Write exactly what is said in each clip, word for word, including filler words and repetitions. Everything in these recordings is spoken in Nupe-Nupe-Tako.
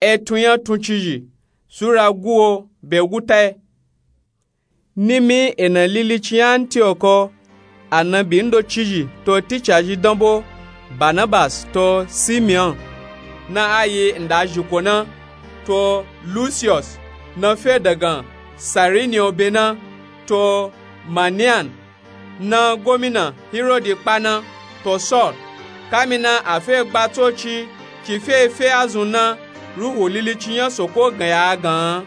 Etun nya tuncizhi sura guwo be gutai. Nimi ena lilicin nya antiyoko, anabi ndocizhi to ticazhi danbo, banabas to simeon, na ayi nda zhiko na, to lusiyos, na fe dagan sarinio be na, to manian, na gomina hirodi kpa na, to saul. Kamina afe gba tsoci ci fe fe azun na, ruhu lilicin nya soko ganya agan,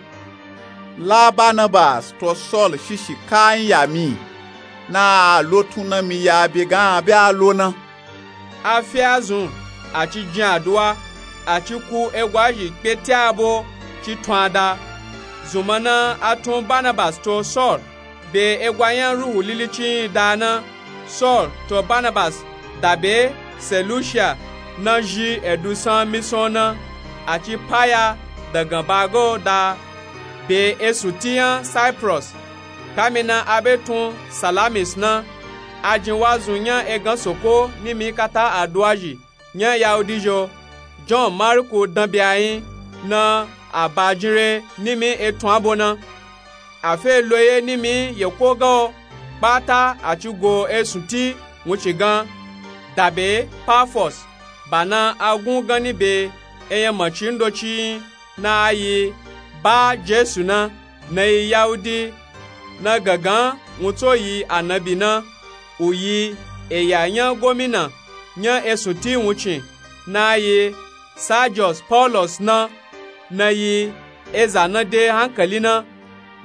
la banabas to saul shishi ka nya mi, na a lotun na mi ya be gan a be a lo na. Afe azun, a ci jin aduwa, a ci ku egwazhi kpe ti abo ci tun ada. Zunma na a tun banabas to saul be egwa nya ruhu lilicin da na. Saul to banabas dabe selusia, na zhi edusan mison na, a ci paya dagan bago da be esun ti nya cyprus. Kamina a be tun salamis na, a jin wazun nya egan soko nimi kata aduwazhi nya yahudi zho. John marku danbe a nyi, na a ba jin re nimi etun abo na. A fe loye nimi yeko gan o, kpata a ci go esun ti wuncin gan, dabe pafos, ba na a gun ganni be enyamaci ndoci nyi, na ayi ba jesu na, na yi yahudi, na gangan wuntso yi anabi na, u yi eya nya gomina nya esun ti wuncin, na ayi sajos paulus na, na yi eza na de hankali na.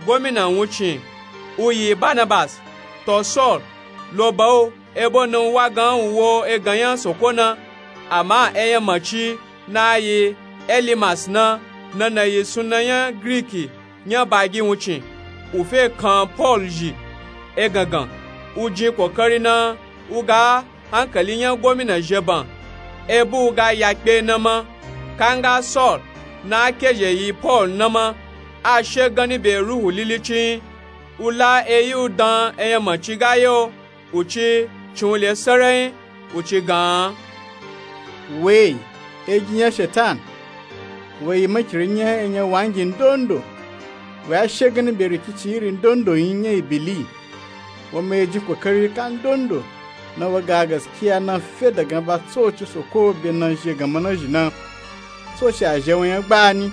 Gomina wuncin u yi banabas to saul lo ba o, ebo na u wa gan u wo egan nya soko na. Ama enyamaci na ayi elimas na, na na yi sunna nya griki nya bagi wuncin, u fe kan paul zhi egangan, u jin kokari na u ga hankali nya gomina zheban, ebo u ga ya kpe na ma. Kanga saul na a kezhe yi paul na ma, a she ganni be ruhu lilicin nyi, u la eyi u dan enyamaci ga ye o, u ci cin u le sarai nyi, u ci gan, we, egi nya shetan, we yi makiri nya enyawangi ndondo, we a she ganni be rikicin iri ndondo nyi nya ibili. Wo ma yi jin kokari ka ndondo, na wo ga gaskiya na fe dagan ba tsoci soko be na zhe ganma na zhi na. Tsoci a zhe wo nya gbani,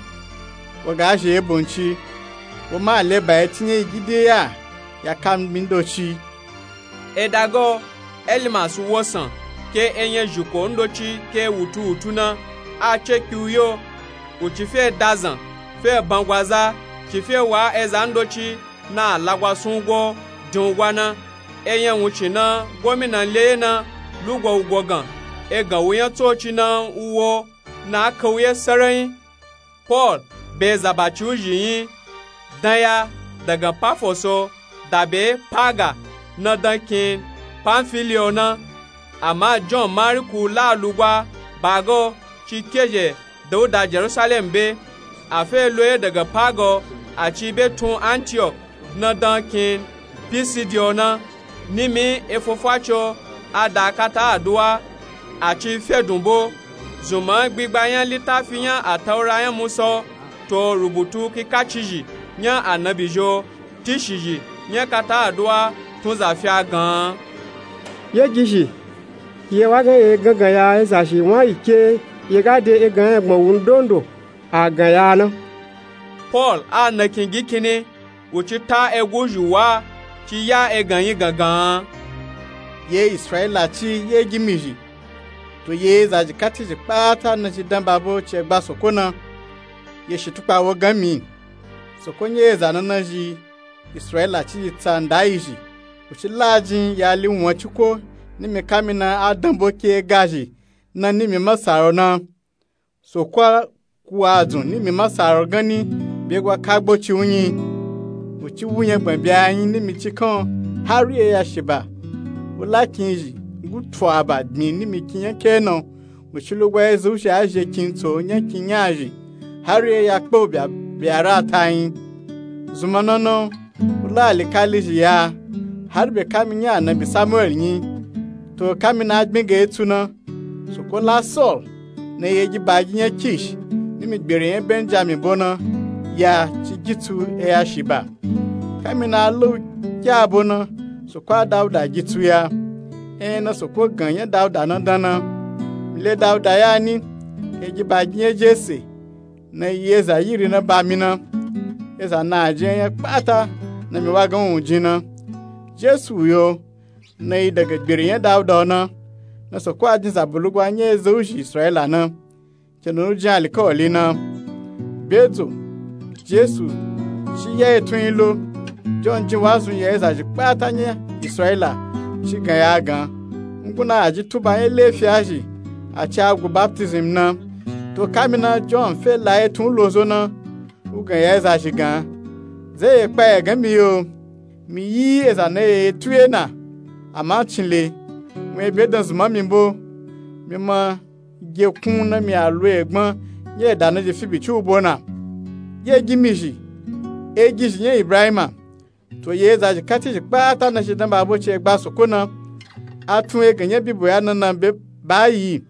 wo ga zhe ye bonci, wo ma a le ba ye ti nya igide ya, ya ka mi ndoci. Edago, elimas wosan ke enyazhiko ndoci ke wutu wutu na, a cekpi u yo, u ci fe dazan fe bangwaza, ci fe wa eza ndoci na a lagwa sun u go din u gwa na. Enya wuncin na gomina le ye na lugwa u gogan, egan u nya tsoci na u wo, na a ka u ye sarai nyi. Paul be zabaci u zhi nyi, danya dagan pafoso dabe paga, na dan kin pamfiliyo na. Ama john mariku la lugwa bago ci kezhe dauda jerusalem be. A fe loye dagan pago, a ci be tun antiyok, na dan kin pisidiyo na. Nimi efofaco a da kata aduwa, a ci fedun bo. Zunman gbigba nya litafi nya ataura nya musa o, to rubutu kikacizhi nya anabi zhi o, tishizhi nya kata aduwa tun za fi a gan an. Ye gizhi, ye wa gan ye gangan ya ezazhi wan yi ke, ye ga de egan nya gbon wu ndondo a gan ya na. Paul a nakin gi kinni, u ci ta egu zhi wa, ci ya egan nyi gangan an. Ye israyila ci ye gimi zhi, to ye zazhi kati zhi kpata na ci dan babo ci egba soko na. Ye shitukpa wo gan mi, soko nya eza na na zhi israyila ci yi tsa nda yi zhi, u ci la jin ya li wan ciko, nimi kamina a dan bo ke ga zhi na nimi masaro na. Soko a ku a dzun nimi masaro ganni be gwa kagbo ci u nyi. U ci wu nyagban be a nyi nimi cikan o, hari e ya shiba. U la kin zhi ngu tu a ba gbin nimi kin nya ke na o. U ci lugwa ezhi u shi a zhe kin tso nya kin nya zhi, hari e ya kpe u be a ra ta nyi. Zunma na na o, u la alikali zhi ya, hari be kami nya anabi samuel nyi. To kamina a gbin ga etsu na, soko la saul na ye gi ba gi nya kish ni gbere nya benjamin bo na ya ci gitsu eya shi ba. Kamina a la u kya bo na soko a dauda gitsu ya. Enya na soko gan nya dauda na dan na. Mi le dauda ya ni, egi ba gi nya jese na yi eza yiri na ba mi na. Eza na a ji enya kpata na mi wa gan u ji na. Jesu yo na yi daga gbere nya dauda o na. Na soko a jin zabo lugwa nya eza uzhi israila na. Kendo na u jin alikawali na. Bedzo jesu ci ya etun yi lo. John jin wazun ya eza zhi kpata nya israila ci gan ya gan. Nguna a ji tuba nya lefi a zhi a ci a gu baptism na. To kamina john fe la etun u lo zo na. U gan ya eza zhi gan, ze ye kpa ya gan mi yo. Mi yi eza na ye etu ye na. Ama cin le wun ebe dan zuma mi bo. Mi ma ge kun na mi a lo egbon nya eda na ji fi bici u bo na. Ye gi mi zhi, egi zhi nya ibrahima. To ye eza zhi kati zhi kpata na shi dan ba bo ci egba soko na. A tun egan nya bibo ya na na be ba yi.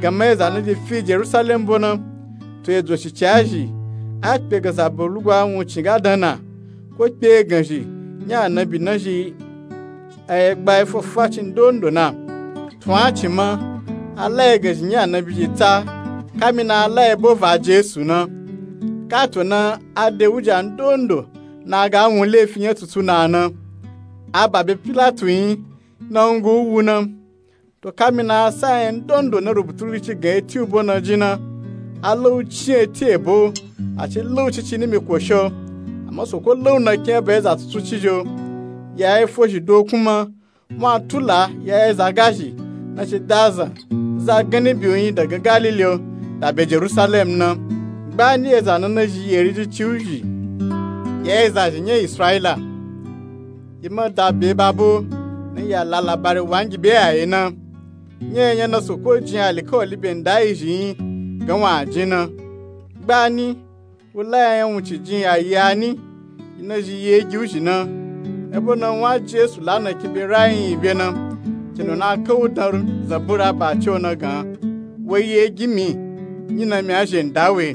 Gama eza na ji fi jerusalem bo na. To edzo shici a zhi a kpe gan zabo lugwa wun cin ga dan na. Ko kpe egan zhi nya anabi na zhi a ye gba efofa ci ndondo na. Tun a cin ma a la egan zhi nya anabi zhi tsa. Kamina a la ebo va jesu na. Kato na a de wuja ndondo na a ga wun lefi nya tutu na na. A ba be pilatu yi na wun gu u wu na. To kamina a sa enya ndondo na rubutu ri ci gan eti u bo na ji na. A la u ci eti ebo a ci la u cici nimi kosho. Ama soko la u na kin eba eza tutu ci zhi o. Ya efo zhi dokun ma. Wun a tula ya eza ga zhi na ci da zan za gan nibi u yi daga galili o da be jerusalem na. Gba ni eza na na zhi yeri ji ci u zhi ya eza zhi nya israila. Yi ma da be ba bo na ya la labari wangi be ya ye na. Nya enya na soko jin alikawali be nda yi zhi yi gan wa a jin na. Gba ni u la ya nya wun ci jin ya yi a ni. Yi na zhi yi egi u zhi na. Ebo na wun a jesu la na kin be rayin yi be na. Kendo na a ka u dan zabura ba ci o na gan, wo yi egi mi, nyi na mi a zhe nda we.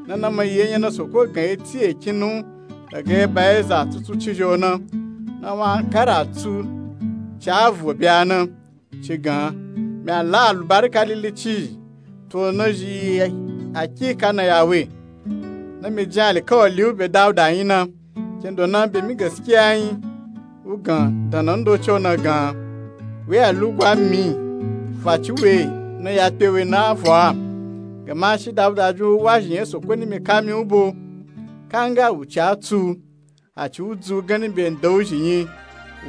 Na na ma yi enya na soko gan eti eki nu daga eba eza tutu ci zhi o na. Na wun a kara tsu ci a vo be a na. Ci gan, mi a la alubarika lili ci zhi. To na zhi yi akika na ya we. Na mi jin alikawali u be dauda yi na. Kendo na be mi gaskiya yi. U gan dan na ndoci o na gan, we a lugwa mi faci we na ya kpe we na vo a. Gama shi dauda jin u wa zhi nya soko nimi kami u bo. Kanga u ci a tsu a ci u dzu gan ni be nda u zhi nyi.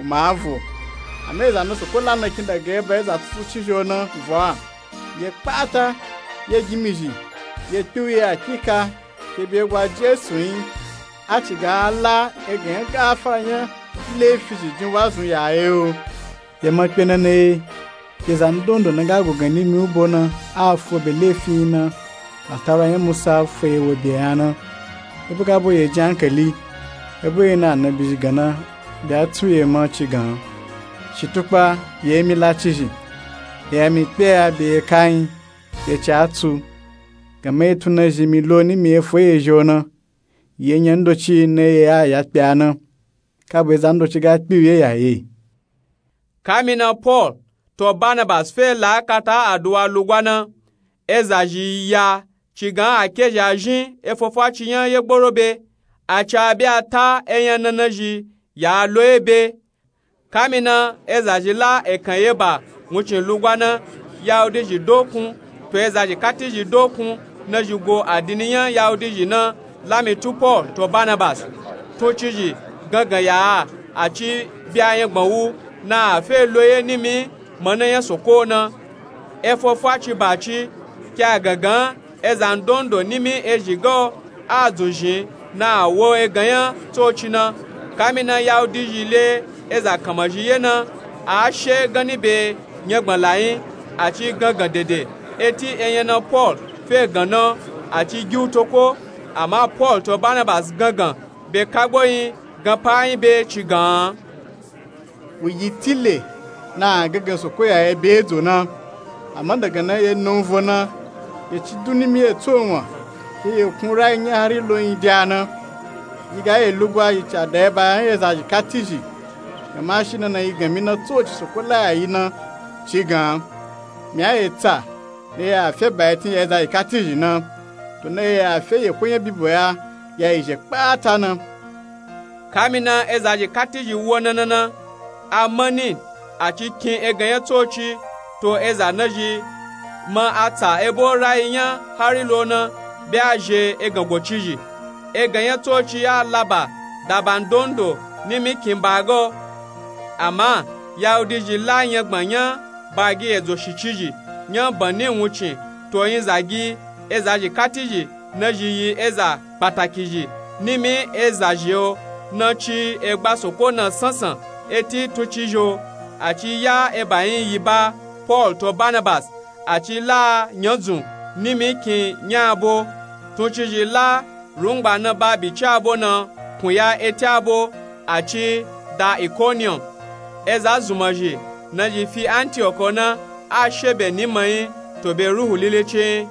U ma a vo. Ama eza na soko la na kin daga eba eza tutu ci zhi o na vo a. Ye kpata ye gi mi zhi ye kpe u ye akika ke be gwa jesu yi. A ci ga a la egan nya gafara nya lefi zhi jin wazun ya ye o. Ye ma kpe na na ye. Ke za ndondo na ga go gan nimi u bo na a fo be lefi yi na. Ataura nya musa fo ye wo be ya na. Ebo ga bo ye jin ankali. Ebo ye na anabi zhi gan na be a tsu ye ma ci gan. Shi tukpa ye mi la ci zhi. Ye ya mi kpe ya be ye ka yi ye ci a tsu. Gama ye tun na zhi mi lo nimi ye fo ye zhi o na. Ye nya ndoci na ye ya ya kpe a na. Ka bo eza ndoci ga kpe u ye ya ye. Kamina paul to barnabas fe la kata aduwa lugwa na. Eza zhi ya ci gan a ke zhi a zhin efofa ci nya ye gboro be. A ci a be a ta enya na na zhi ya a lo ye be. Kamina eza zhi la ekan ye ba wuncin lugwa na. Yahudi zhi dokun to eza zhi kati zhi dokun na zhi go adini nya yahudi zhi na. Lami tu paul to barnabas tun ci zhi gangan ya a a ci bi a nya gbọn wu na a fe lo ye nimi. Mana nya soko na efofa ci ba ci ke a gangan eza ndondo nimi ezhi ga o a dzun zhin na a wo egan nya tsoci na. Kamina yahudi zhi le eza kanma zhi ye na a she gan ni be nya gbọn la yi. A ci gangan dede eti enya na paul fe gan na a ci gi u toko. Ama paul to barnabas gangan be kagbo yi gan pa yi be ci gan. Wu yi tile na a gangan soko ya ye be edzo na. Ama daga na ye na u vo na ye ci du nimi ye tso wan. ke yi knu rayi nya hari lo yin de a na. Yi ga yi lugwa yi ca da yi ba nya ezazhi katizhi. Gama shi nana yi gan mi na tsoci soko la ya yi na ci gan mi a yi tsa na yi a fe ba yi tin ya ezazhi katizhi na. To na yi a fe yi ko nya bibo ya ya yi zhe kpata na. Kamina ezazhi katizhi wo na na na, a mani a ci kin egan nya tsoci to eza nazhi ma a tsa ebo rayi nya hari lo na be a zhe egan go cizhi. Egan nya tsoci ya laba da ban dondo nimi kin ba ga o. Ama yahudizhi la nyagban nya ba gi edzo shi cizhi nya bani wuncin to yin zagi ezazhi katizhi nazhi yi eza kpatakizhi nimi ezazhi o. Na ci egba soko na sansan eti tuncizhi o. A ci ya eba yin yi ba paul to barnabas a ci la nyadzun nimi kin nya abo. Tuncizhi la rungba na ba bici abo na kunya eti abo a ci da ikonium. Eza zunmazhi nazhi fi antiok o na a she be ni mayin to be ruhu lili cin.